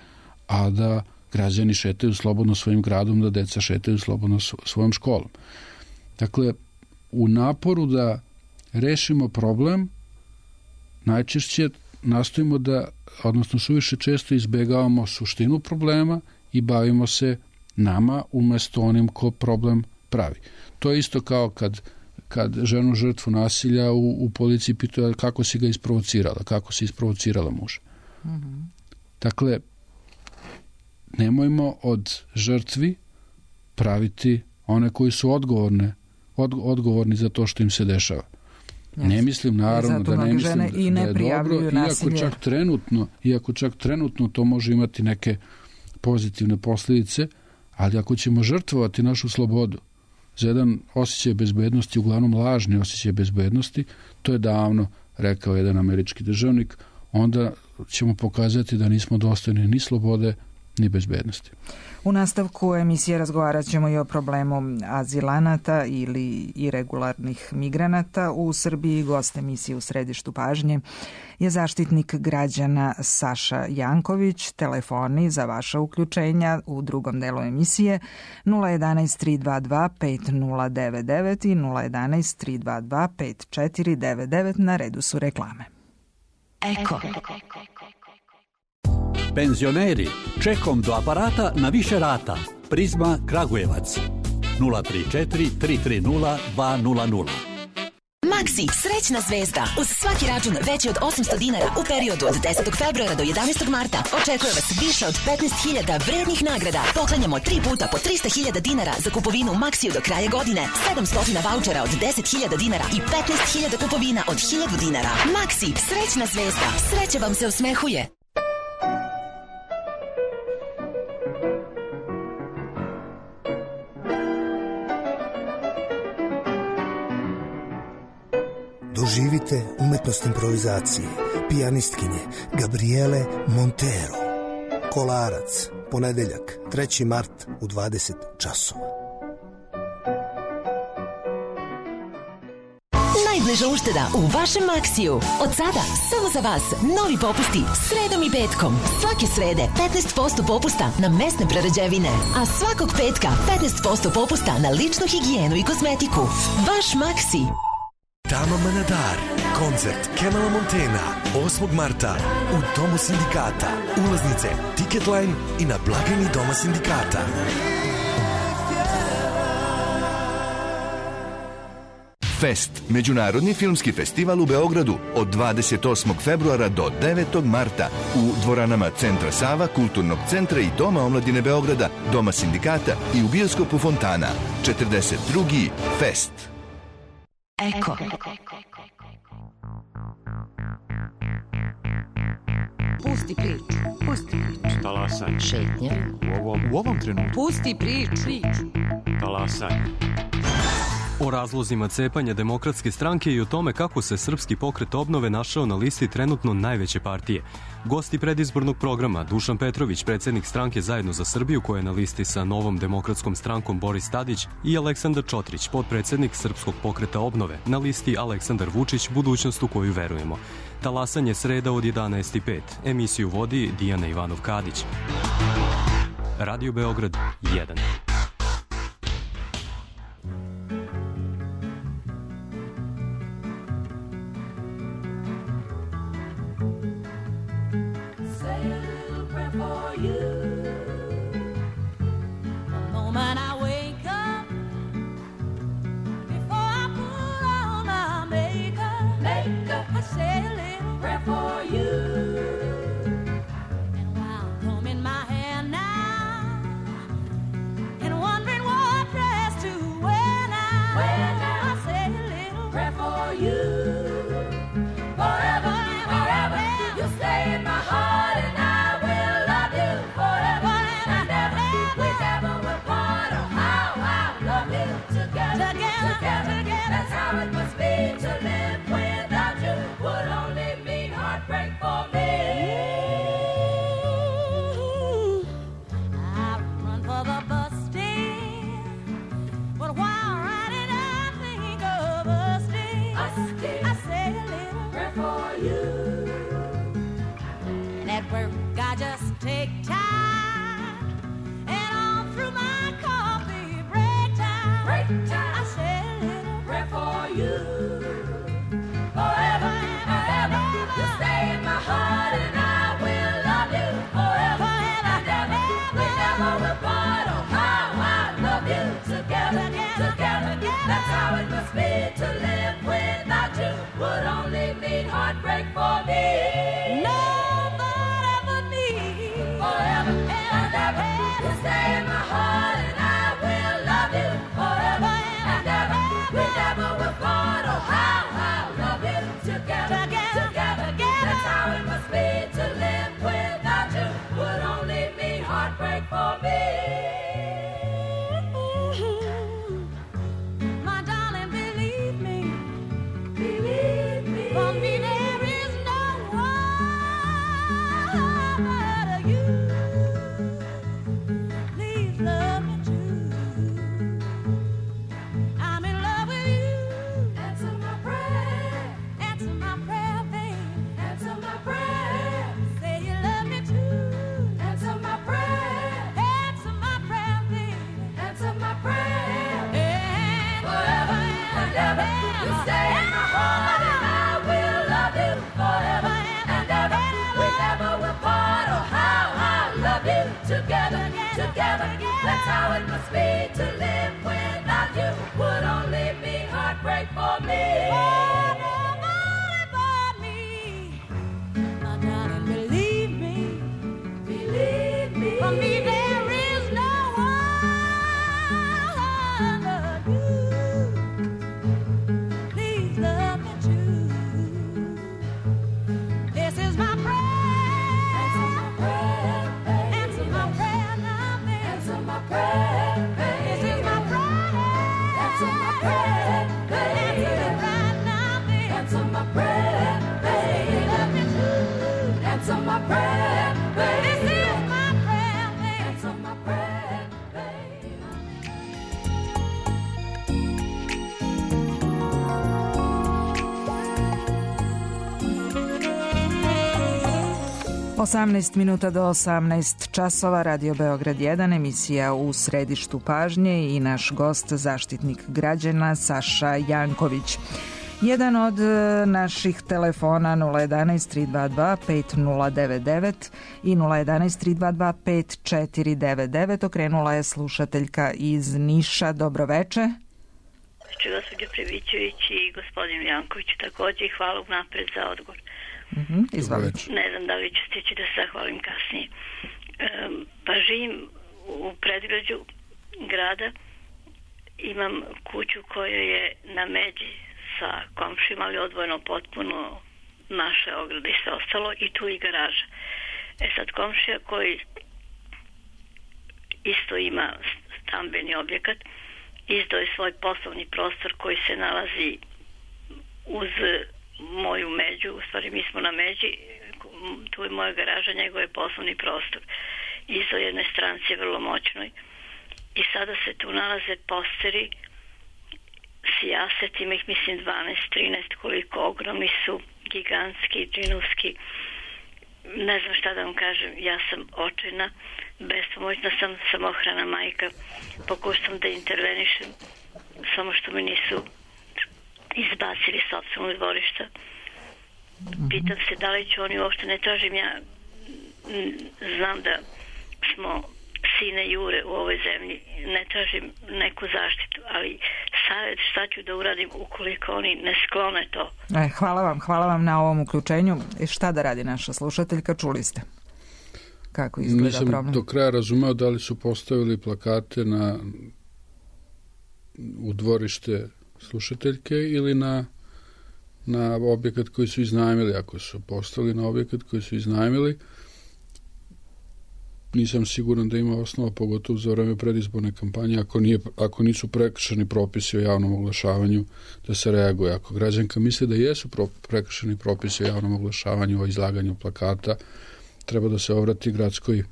a da građani šetaju slobodno svojim gradom, da deca šetaju slobodno svojom školom. Dakle, u naporu da rešimo problem, najčešće nastojimo da, odnosno suviše često izbegavamo suštinu problema i bavimo se nama umesto onim ko problem pravi. To je isto kao kad ženu žrtvu nasilja u policiji pitaju kako si ga isprovocirala, kako si isprovocirala muža. Mm-hmm. Dakle, nemojmo od žrtvi praviti one koji su odgovorni za to što im se dešava. Yes. Ne mislim naravno da ne mislim da je dobro, iako čak trenutno to može imati neke pozitivne posljedice, ali ako ćemo žrtvovati našu slobodu za jedan osjećaj bezbednosti, uglavnom lažni osjećaj bezbednosti, to je davno rekao jedan američki državnik, onda ćemo pokazati da nismo dostojni ni slobode, ni bezbednosti. U nastavku emisije razgovarat ćemo i o problemu azilanata ili irregularnih migranata u Srbiji. Gost emisije U središtu pažnje je zaštitnik građana Saša Janković. Telefoni za vaša uključenja u drugom delu emisije 011 322 5099 i 011 322 5499. Na redu su reklame. Eko. Penzioneri, čekom do aparata na više rata. Prizma Kragujevac 034 330 200. Maxi, srećna zvezda. Uz svaki račun veći od 800 dinara u periodu od 10. februara do 11. marta očekuje vas više od 15.000 vrednih nagrada. Poklanjamo 3 puta po 300.000 dinara za kupovinu u Maxiju do kraja godine, 700 vaučera od 10.000 dinara i 15.000 kupovina od 1.000 dinara. Maxi, srećna zvezda. Sreća vam se osmehuje. Doživite umetnost improvizacije pijanistkinje Gabriele Montero. Kolarac, ponedeljak, 3. mart u 20 časova. Najbliža ušteda u vašem Maxiju. Od sada, samo za vas, novi popusti sredom i petkom. Svake srede 15% popusta na mesne prerađevine, a svakog petka 15% popusta na ličnu higijenu i kozmetiku. Vaš Maxi. Tama Manadar, koncert Kemala Montena, 8. marta u Domu sindikata. Ulaznice Ticketline i na blagajni Doma sindikata. Fest, međunarodni filmski festival u Beogradu od 28. februara do 9. marta u dvoranama Centra Sava, Kulturnog centra i Doma omladine Beograda, Doma sindikata i u bioskopu Fontana. 42. Fest. Eko. Pusti priču. Pusti priču. Talasanje. Šetnje. U ovom trenutku. Pusti priču. Talasanje. O razlozima cepanja Demokratske stranke i o tome kako se Srpski pokret obnove našao na listi trenutno najveće partije. Gosti predizbornog programa Dušan Petrović, predsjednik stranke Zajedno za Srbiju, koja je na listi sa Novom demokratskom strankom Boris Tadić, i Aleksandar Čotrić, potpredsjednik Srpskog pokreta obnove, na listi Aleksandar Vučić, budućnost u koju verujemo. Talasanje sreda od 11:05. Emisiju vodi Dijana Ivanov-Kadić. Radio Beograd 1. Forever, you stay in my heart and I will love you forever. heartbreak for me. I run for the bus stand, but while riding I think of us dear. I say a little prayer for you. And at work I just take time, and all through my coffee break time, I say a little prayer for you. Forever and ever, you stay in my heart, and I will love you forever and ever. We never will part. Oh, how I love you together, together. That's how it must be to live without you. Would only mean heartbreak for me. Nobody but me. Forever and ever, you stay in my heart, and I will love you forever and ever. We never will part. Oh, how I love you together, together. That's how it must be to live without you. Would only mean heartbreak for me. My darling, believe me, believe me. For me there is no one but you. Please love me too. I'm in love with you. Answer my prayer, baby. Answer my prayer. Say you love me too. Answer my prayer, baby. Answer my prayer. And forever and ever, you stay in my heart, and I will love you forever and ever. We never will part. Oh, how I love you together, together. That's how it must be to live without you. Would only mean heartbreak for me. Nobody but me. My darling, believe me, believe me. For me there is no one but you. Please love me too. This is my prayer. Answer my prayer, baby. Answer my prayer now, baby. Answer my prayer, baby. This is my prayer. Answer my prayer, baby. Answer it right now, baby. Answer my prayer, baby. Love me too. Answer my prayer, baby. This is my prayer, baby. Answer my prayer, baby. 18 minuta do 18 časova, Radio Beograd 1, emisija U središtu pažnje i naš gost, zaštitnik građana Saša Janković. Jedan od naših telefona 011 322 5099 i 011 322 5499 okrenula je slušateljka iz Niša. Dobroveče. Gospođo Previćević i gospodin Janković takođe, hvala unapred za odgovor. Izvolite. Ne znam da li ću stići da se zahvalim kasnije. Pa živim u predgrađu grada, imam kuću koja je na međi sa komšima, ali odvojeno potpuno naše ograde i sve ostalo, i tu i garaža. Sad komšija koji isto ima stambeni objekat, izdao je svoj poslovni prostor koji se nalazi uz moju među, u stvari mi smo na međi, tu je moja garaža, njegov je poslovni prostor. Izdao jednoj stranci vrlo moćnoj i sada se tu nalaze posteri s jasetima, ih mislim 12-13 koliko, ogromni su, gigantski, džinovski. Ne znam šta da vam kažem, ja sam očajna, bespomoćna sam, samohrana majka, pokušam da intervenišem, samo što me nisu izbacili s sopstvenog dvorišta. Pitam se da li ću oni uopšte, ne tražim ja, znam da smo sine Jure u ovoj zemlji, ne tražim neku zaštitu, ali savjet šta ću da uradim ukoliko oni ne sklone to. Hvala vam na ovom uključenju. Šta da radi naša slušateljka, čuli ste kako izgleda problem? Nisam do kraja razumeo da li su postavili plakate u dvorište slušateljke ili na objekat koji su iznajmili. Ako su postavili na objekat koji su iznajmili, nisam siguran da ima osnova, pogotovo za vreme predizborne kampanje, ako nisu prekršeni propisi o javnom oglašavanju, da se reaguje. Ako građanka misli da jesu prekršeni propisi o javnom oglašavanju, o izlaganju plakata, treba da se obrati gradskoj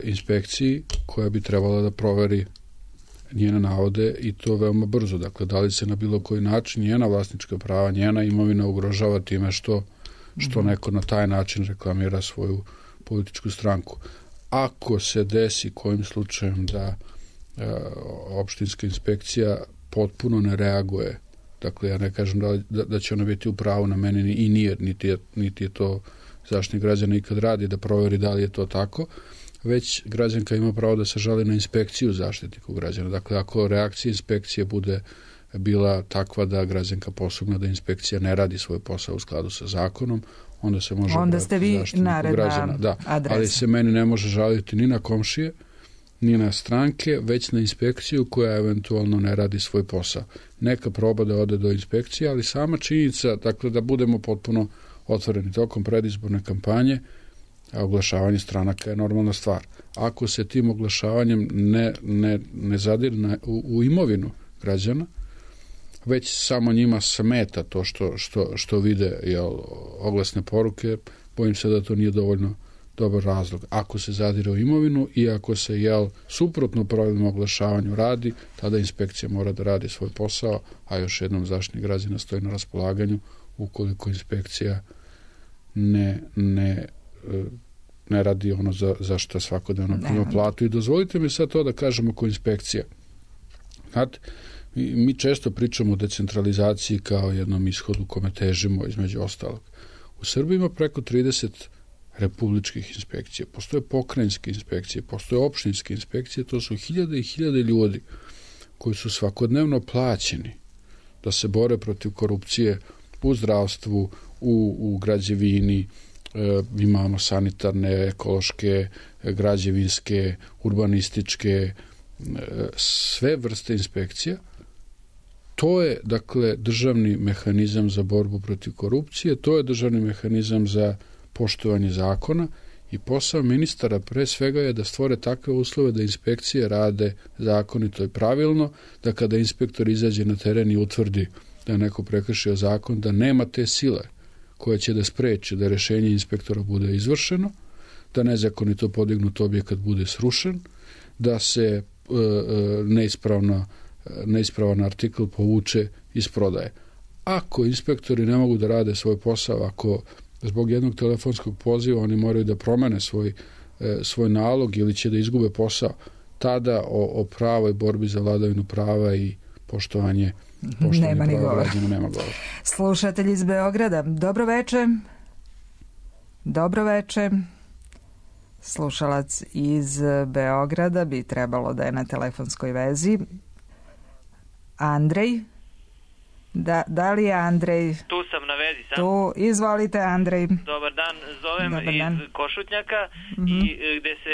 inspekciji koja bi trebala da proveri njene navode i to veoma brzo. Dakle, da li se na bilo koji način njena vlasnička prava, njena imovina ugrožava time što neko na taj način reklamira svoju političku stranku. Ako se desi kojim slučajem da opštinska inspekcija potpuno ne reaguje, dakle ja ne kažem da će ona biti u pravu na meni i nije, niti je to Zaštitnik građana ikad radi da proveri da li je to tako, već građanka ima pravo da se žali na inspekciju Zaštitniku građana. Dakle, ako reakcija inspekcije bude bila takva da građanka posumnja da inspekcija ne radi svoj posao u skladu sa zakonom, onda se može obratiti Zaštitniku građana. Da, ali se meni ne može žaliti ni na komšije, ni na stranke, već na inspekciju koja eventualno ne radi svoj posao. Neka proba da ode do inspekcije, ali sama činjenica, dakle, da budemo potpuno otvoreni tokom predizborne kampanje, a oglašavanje stranaka je normalna stvar. Ako se tim oglašavanjem ne zadire u imovinu građana, već samo njima smeta to što vide oglasne poruke, bojim se da to nije dovoljno dobar razlog. Ako se zadire u imovinu i ako se suprotno pravilnom oglašavanju radi, tada inspekcija mora da radi svoj posao, a još jednom Zaštitnik građana stoji na raspolaganju ukoliko inspekcija ne radi ono za što svakodnevno prima platu. I dozvolite mi sad to da kažem oko inspekcija. Znate, mi često pričamo o decentralizaciji kao jednom ishodu kome težimo, između ostalog. U Srbiji ima preko 30 republičkih inspekcija, postoje pokrajinske inspekcije, postoje opštinske inspekcije, to su hiljade i hiljade ljudi koji su svakodnevno plaćeni da se bore protiv korupcije u zdravstvu, u građevini, imamo sanitarne, ekološke, građevinske, urbanističke, sve vrste inspekcija. To je, dakle, državni mehanizam za borbu protiv korupcije, to je državni mehanizam za poštovanje zakona i posao ministara pre svega je da stvore takve uslove da inspekcije rade zakonito i pravilno, da kada inspektor izađe na teren i utvrdi da je neko prekršio zakon, da nema te sile koja će da spreči da rešenje inspektora bude izvršeno, da nezakonito podignut objekat bude srušen, da se neispravan artikl povuče iz prodaje. Ako inspektori ne mogu da rade svoj posao, ako zbog jednog telefonskog poziva oni moraju da promene svoj nalog ili će da izgube posao, tada o pravoj borbi za vladavinu prava i poštovanje nema ni govora. Nema govora. Slušatelj iz Beograda, dobro veče. Dobro veče. Slušalac iz Beograda bi trebalo da je na telefonskoj vezi. Andrej? Da li je Andrej? Tu sam na vezi sam. Tu, izvolite Andrej. Dobar dan, zovem iz Košutnjaka i gde se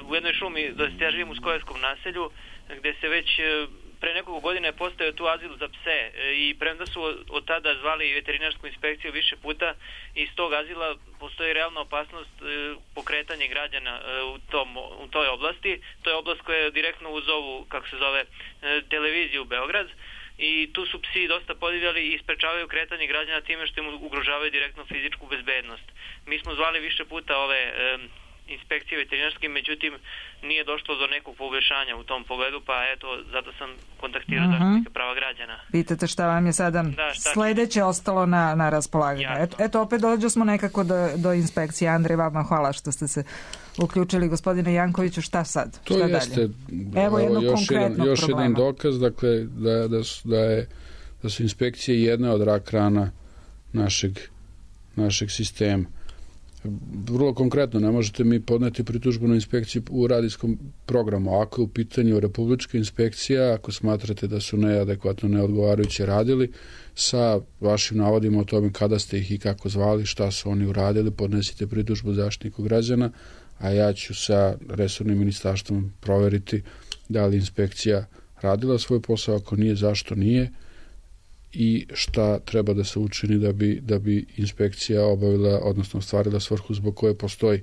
u jednoj šumi, ja živim u Skojevskom naselju, gde se već pre nekoliko godina je postao tu azil za pse i premda su od tada zvali veterinarsku inspekciju više puta, iz tog azila postoji realna opasnost pokretanje građana u toj oblasti. To je oblast koja je direktno uz ovu, kako se zove, televiziju Beograd, i tu su psi dosta podivljali i isprečavaju kretanje građana time što im ugrožavaju direktno fizičku bezbednost. Mi smo zvali više puta ove inspekcije veterinarske, međutim nije došlo do nekog poboljšanja u tom pogledu, pa eto, zato sam kontaktirao Zaštitnika prava građana. Pitate šta vam je sada sledeće ostalo na raspolaganju. Eto, opet dođo smo nekako do inspekcije. Andrej, vama hvala što ste se uključili. Gospodine Jankoviću, šta sad? To šta jeste, dalje? Evo jednog konkretnog još problema. jedan dokaz, dakle, da su inspekcije jedna od rak rana našeg sistema. Vrlo konkretno, ne možete mi podneti pritužbu na inspekciju u radijskom programu. Ako je u pitanju republička inspekcija, ako smatrate da su neadekvatno, neodgovarajuće radili, sa vašim navodima o tome kada ste ih i kako zvali, šta su oni uradili, podnesite pritužbu Zaštitniku građana, a ja ću sa resornim ministarstvom proveriti da li inspekcija radila svoj posao, ako nije, zašto nije, i šta treba da se učini da bi inspekcija obavila, odnosno ostvarila svrhu zbog koje postoji.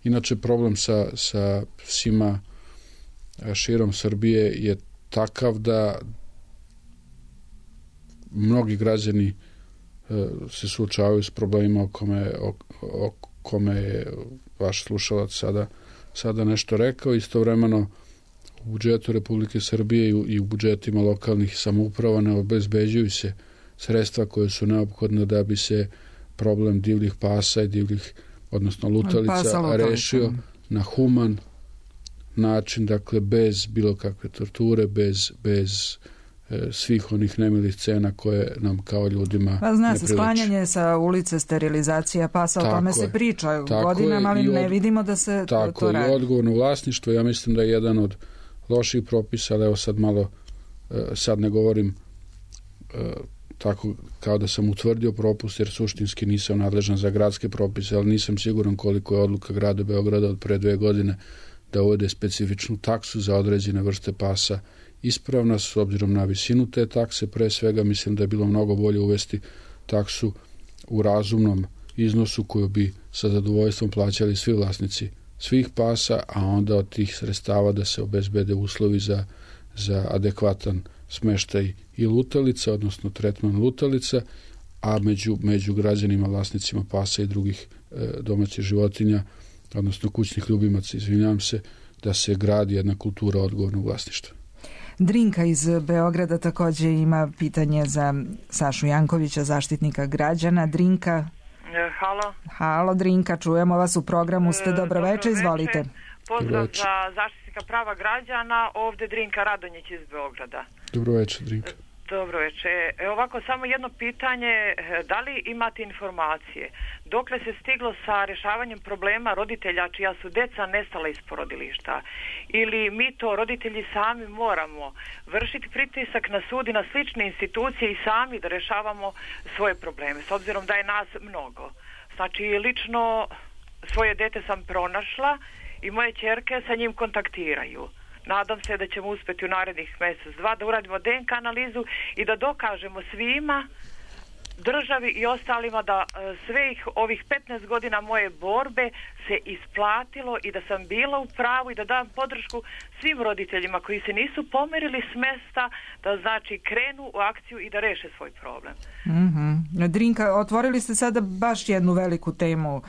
Inače, problem sa psima širom Srbije je takav da mnogi građani se suočavaju s problemima o kome je vaš slušalac sada nešto rekao. Istovremeno u budžetu Republike Srbije i u budžetima lokalnih samouprava ne obezbeđuju se sredstva koje su neophodne da bi se problem divljih pasa i odnosno lutalica rešio na human način, dakle bez bilo kakve torture, bez svih onih nemilih scena koje nam kao ljudima ne priliči. Zna se, sklanjanje sa ulice, sterilizacija pasa, o tome se priča godinama, ali ne vidimo da se to radi. Tako, i odgovorno vlasništvo, ja mislim da je jedan od loših propisa, ali evo sad ne govorim tako kao da sam utvrdio propust, jer suštinski nisam nadležan za gradske propise, ali nisam siguran koliko je odluka grada Beograda od pre 2 godine da uvede specifičnu taksu za određene vrste pasa ispravna. S obzirom na visinu te takse, pre svega mislim da je bilo mnogo bolje uvesti taksu u razumnom iznosu koju bi sa zadovoljstvom plaćali svi vlasnici svih pasa, a onda od tih sredstava da se obezbede uslovi za adekvatan smeštaj i lutalica, odnosno tretman lutalica, a među građanima, vlasnicima pasa i drugih domaćih životinja, odnosno kućnih ljubimaca, izvinjavam se, da se gradi jedna kultura odgovornog vlasništva. Drinka iz Beograda također ima pitanje za Sašu Jankovića, zaštitnika građana. Drinka. Halo. Halo, Drinka, čujemo vas u programu. Ste dobroveče, izvolite. Pozdrav za zaštitnika prava građana, ovdje Drinka Radonjić iz Beograda. Dobroveče, Drinka. Dobroveče. Ovako, samo jedno pitanje, da li imate informacije dokle se stiglo sa rješavanjem problema roditelja čija su deca nestala iz porodilišta, ili mi to roditelji sami moramo vršiti pritisak na sud i na slične institucije i sami da rješavamo svoje probleme, s obzirom da je nas mnogo. Znači, lično svoje dete sam pronašla i moje ćerke sa njim kontaktiraju. Nadam se da ćemo uspjeti u narednih mjesec, 2 da uradimo DNK analizu i da dokažemo svima, državi i ostalima da svih ovih 15 godina moje borbe se isplatilo i da sam bila u pravu i da dam podršku svim roditeljima koji se nisu pomerili s mesta, da znači krenu u akciju i da reše svoj problem. Drinka, otvorili ste sada baš jednu veliku temu.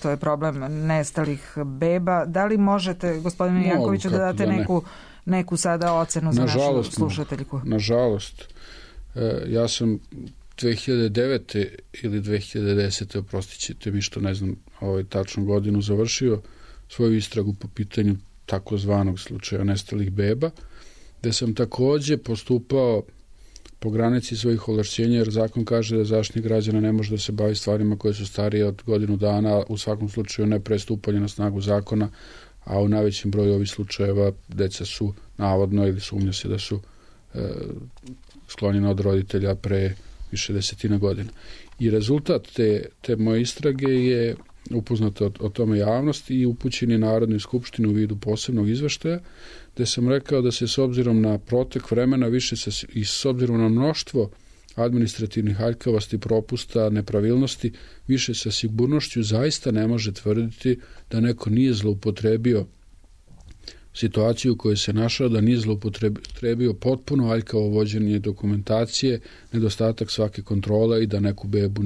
To je problem nestalih beba. Da li možete, gospodine Jankoviću, da date neku sada ocenu za našu slušateljku? Nažalost, ja sam 2009. ili 2010. oprostit ćete mi što ne znam tačnu godinu, završio svoju istragu po pitanju takozvanog slučaja nestalih beba, gde sam također postupao po granici svojih ovlašćenja, jer zakon kaže da zaštitnik građana ne može da se bavi stvarima koje su starije od godinu dana, u svakom slučaju ne pre stupanja na snagu zakona, a u najvećem broju ovih slučajeva deca su navodno ili sumnja se da su sklonjena od roditelja pre više desetina godina. I rezultat te moje istrage je upoznat o tome javnosti i upućen je Narodnoj skupštini u vidu posebnog izveštaja, gde sam rekao da se s obzirom na protek vremena i s obzirom na mnoštvo administrativnih aljkavosti, propusta, nepravilnosti, više sa sigurnošću zaista ne može tvrditi da neko nije zloupotrebio situaciju u kojoj se našao, da nije zloupotrebio potpuno aljkavo vođenje dokumentacije, nedostatak svake kontrole i da neku bebu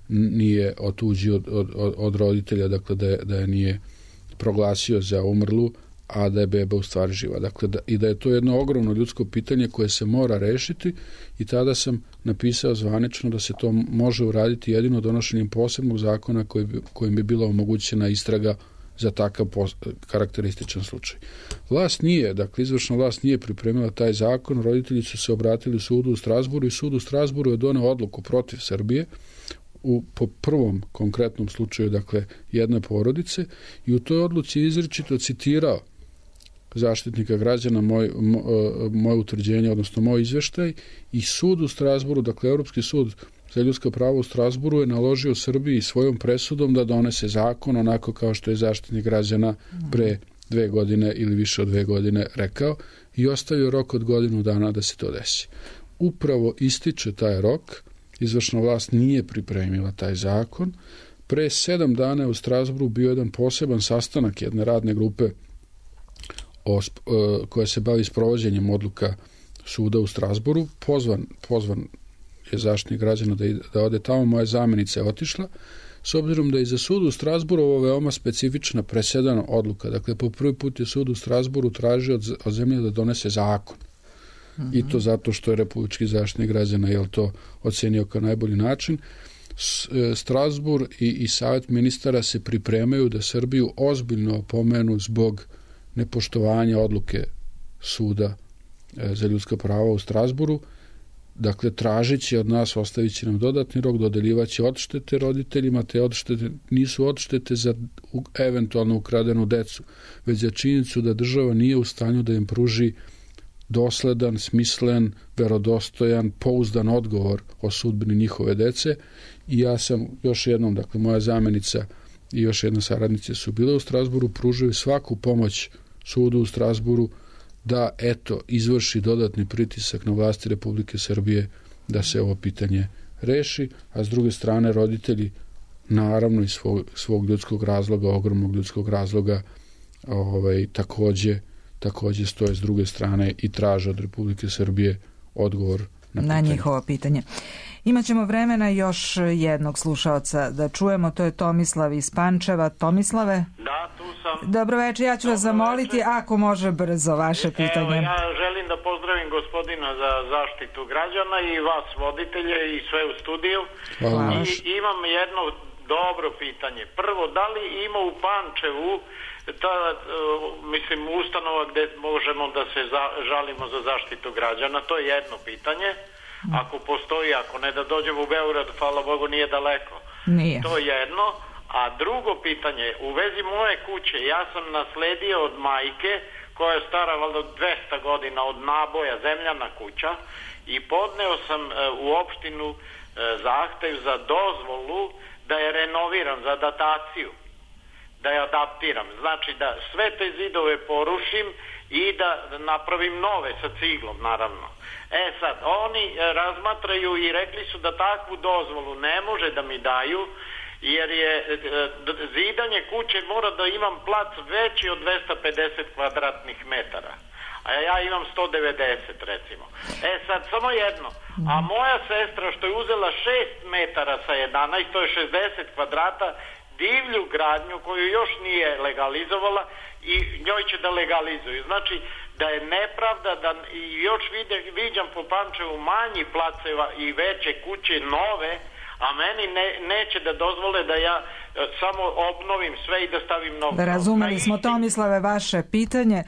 nije otuđio od roditelja, dakle da je nije proglasio za umrlu, a da je beba u stvari živa. Dakle, i da je to jedno ogromno ljudsko pitanje koje se mora rešiti, i tada sam napisao zvanično da se to može uraditi jedino donošenjem posebnog zakona kojim bi bila omogućena istraga za takav karakterističan slučaj. Izvršna vlast nije pripremila taj zakon, roditelji su se obratili sudu u Strazburu i sud u Strazburu je doneo odluku protiv Srbije po prvom konkretnom slučaju, dakle, jedne porodice, i u toj odluci je izričito citirao zaštitnika građana, moje utvrđenje, odnosno moj izveštaj, i sud u Strazburu, dakle, Europski sud za ljudska prava u Strazburu je naložio Srbiji svojom presudom da donese zakon onako kao što je zaštitnik građana pre 2 godine ili više od 2 godine rekao, i ostavio rok od godinu dana da se to desi. Upravo ističe taj rok, izvršna vlast nije pripremila taj zakon, Pre 7 dana u Strasburu bio jedan poseban sastanak jedne radne grupe koja se bavi sprovođenjem odluka suda u Strasburu. Pozvan je Zaštitnik građana da ode tamo. Moja zamjenica je otišla, s obzirom da je za sud u Strasburu ovo veoma specifična presedana odluka. Dakle, po prvi put je sud u Strasburu tražio od zemlje da donese zakon. I to zato što je Republički zaštitnik građana to ocenio kao najbolji način. Strasbur i Savjet ministara se pripremaju da Srbiju ozbiljno opomenu zbog nepoštovanja odluke suda za ljudska prava u Strasburu. Dakle, tražeći od nas, ostavit će nam dodatni rok, dodeljivaće odštete roditeljima, te odštete nisu odštete za eventualno ukradenu decu, već za činjenicu da država nije u stanju da im pruži dosledan, smislen, verodostojan, pouzdan odgovor o sudbini njihove dece. I ja sam još jednom, dakle, moja zamjenica i još jedna saradnica su bile u Strasburu, pružaju svaku pomoć sudu u Strasburu da, izvrši dodatni pritisak na vlasti Republike Srbije da se ovo pitanje reši, a s druge strane roditelji, naravno iz svog ljudskog razloga, ogromnog ljudskog razloga, također stoje s druge strane i traže od Republike Srbije odgovor na njihovo pitanje. Imaćemo vremena još jednog slušaoca da čujemo, to je Tomislav iz Pančeva. Tomislave? Da, tu sam. Dobro večer, ja ću vas zamoliti ako može brzo vaše pitanje. Evo, ja želim da pozdravim gospodina za zaštitu građana i vas voditelje i sve u studiju. Hvala. I imam jedno dobro pitanje. Prvo, da li ima u Pančevu ustanova gdje možemo da se žalimo za zaštitu građana? To je jedno pitanje. Ako postoji, ako ne, da dođemo u Beograd, hvala Bogu, nije daleko. Nije. To je jedno. A drugo pitanje, u vezi moje kuće, ja sam nasledio od majke, koja je stara valjda 200 godina, od naboja, zemljana kuća, i podneo sam u opštinu zahtev za dozvolu da je renoviram, za dataciju, da je adaptiram. Znači da sve te zidove porušim i da napravim nove sa ciglom, naravno. Sad, oni razmatraju i rekli su da takvu dozvolu ne može da mi daju, jer je zidanje kuće mora da imam plac veći od 250 kvadratnih metara. A ja imam 190, recimo. Sad, samo jedno. A moja sestra, što je uzela 6 metara sa 11, to je 60 kvadrata, divlju gradnju koju još nije legalizovala i njoj će da legalizuju. Znači da je nepravda da i još viđam po Pančevu manji placeva i veće kuće nove, a meni neće da dozvole da ja samo obnovim sve i da stavim novo. Razumeli smo, Tomislave, vaše pitanje.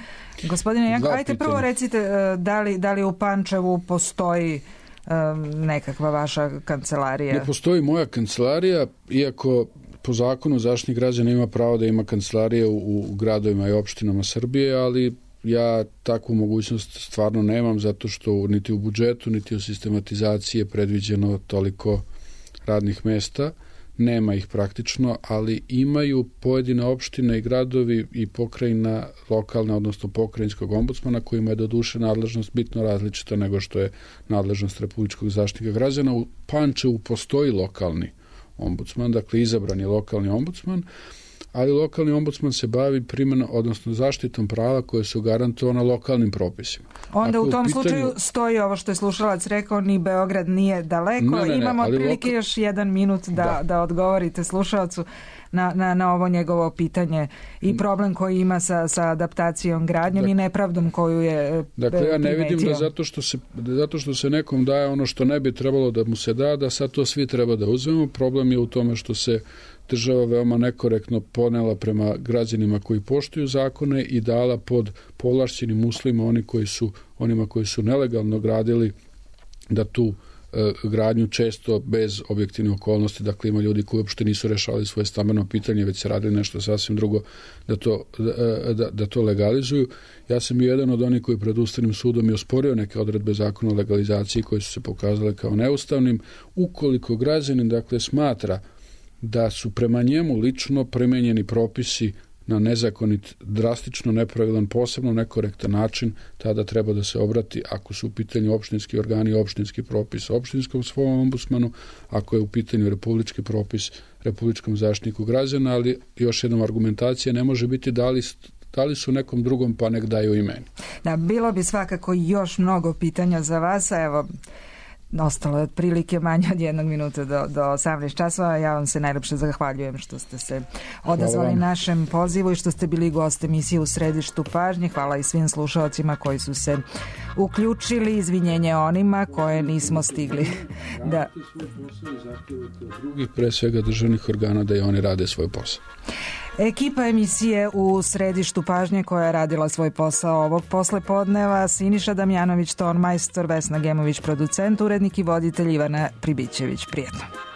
Gospodine Janko, ajte prvo recite da li u Pančevu postoji nekakva vaša kancelarija? Ne postoji moja kancelarija, iako po zakonu Zaštitnik građana ima pravo da ima kancelarije u gradovima i opštinama Srbije, ali ja takvu mogućnost stvarno nemam, zato što niti u budžetu, niti u sistematizaciji je predviđeno toliko radnih mesta. Nema ih praktično, ali imaju pojedine opštine i gradovi i pokrajina lokalne, odnosno pokrajinskog ombudsmana, kojima je doduše nadležnost bitno različita nego što je nadležnost Republičkog zaštitnika građana. U Pančevu postoji lokalni ombudsman, dakle izabran je lokalni ombudsman, ali lokalni ombudsman se bavi primjenom, odnosno zaštitom prava koje su garantovana lokalnim propisima. Onda u tom slučaju stoji ovo što je slušalac rekao, ni Beograd nije daleko. Imamo otprilike još 1 minut da odgovorite slušalcu na ovo njegovo pitanje i problem koji ima sa adaptacijom gradnjom i nepravdom koju je Dakle, ja ne vidim da zato što se nekom daje ono što ne bi trebalo da mu se da sad to svi treba da uzmemo. Problem je u tome što se država veoma nekorektno ponela prema građanima koji poštuju zakone i dala pod povlašćenim uslovima onima koji su nelegalno gradili da tu gradnju često bez objektivne okolnosti, dakle ima ljudi koji uopšte nisu rešavali svoje stambeno pitanje, već se radili nešto sasvim drugo da to legalizuju. Ja sam bio jedan od onih koji pred Ustavnim sudom je osporio neke odredbe zakona o legalizaciji koje su se pokazale kao neustavnim. Ukoliko građanin, dakle, smatra da su prema njemu lično primenjeni propisi na nezakonit, drastično nepravilan, posebno nekorektan način, tada treba da se obrati, ako su u pitanju opštinski organi, opštinski propis opštinskom svom ombudsmanu, ako je u pitanju republički propis Republičkom zaštitniku građana, ali još jednom argumentacija ne može biti da li su nekom drugom pa nek daju i meni. Da, bilo bi svakako još mnogo pitanja za vas, a evo, ostalo je otprilike manje od 1 minuta do 18 časova. Ja vam se najlepše zahvaljujem što ste se odazvali našem pozivu i što ste bili gost emisije U središtu pažnje. Hvala i svim slušalcima koji su se uključili. Izvinjenje onima koje nismo stigli da... Drugih, pre svega državnih organa, da i oni rade svoj posao. Ekipa emisije U središtu pažnje koja je radila svoj posao ovog poslepodneva: Siniša Damjanović, ton majstor, Vesna Gemović, producent, urednik i voditelj Ivana Pribićević. Prijetno.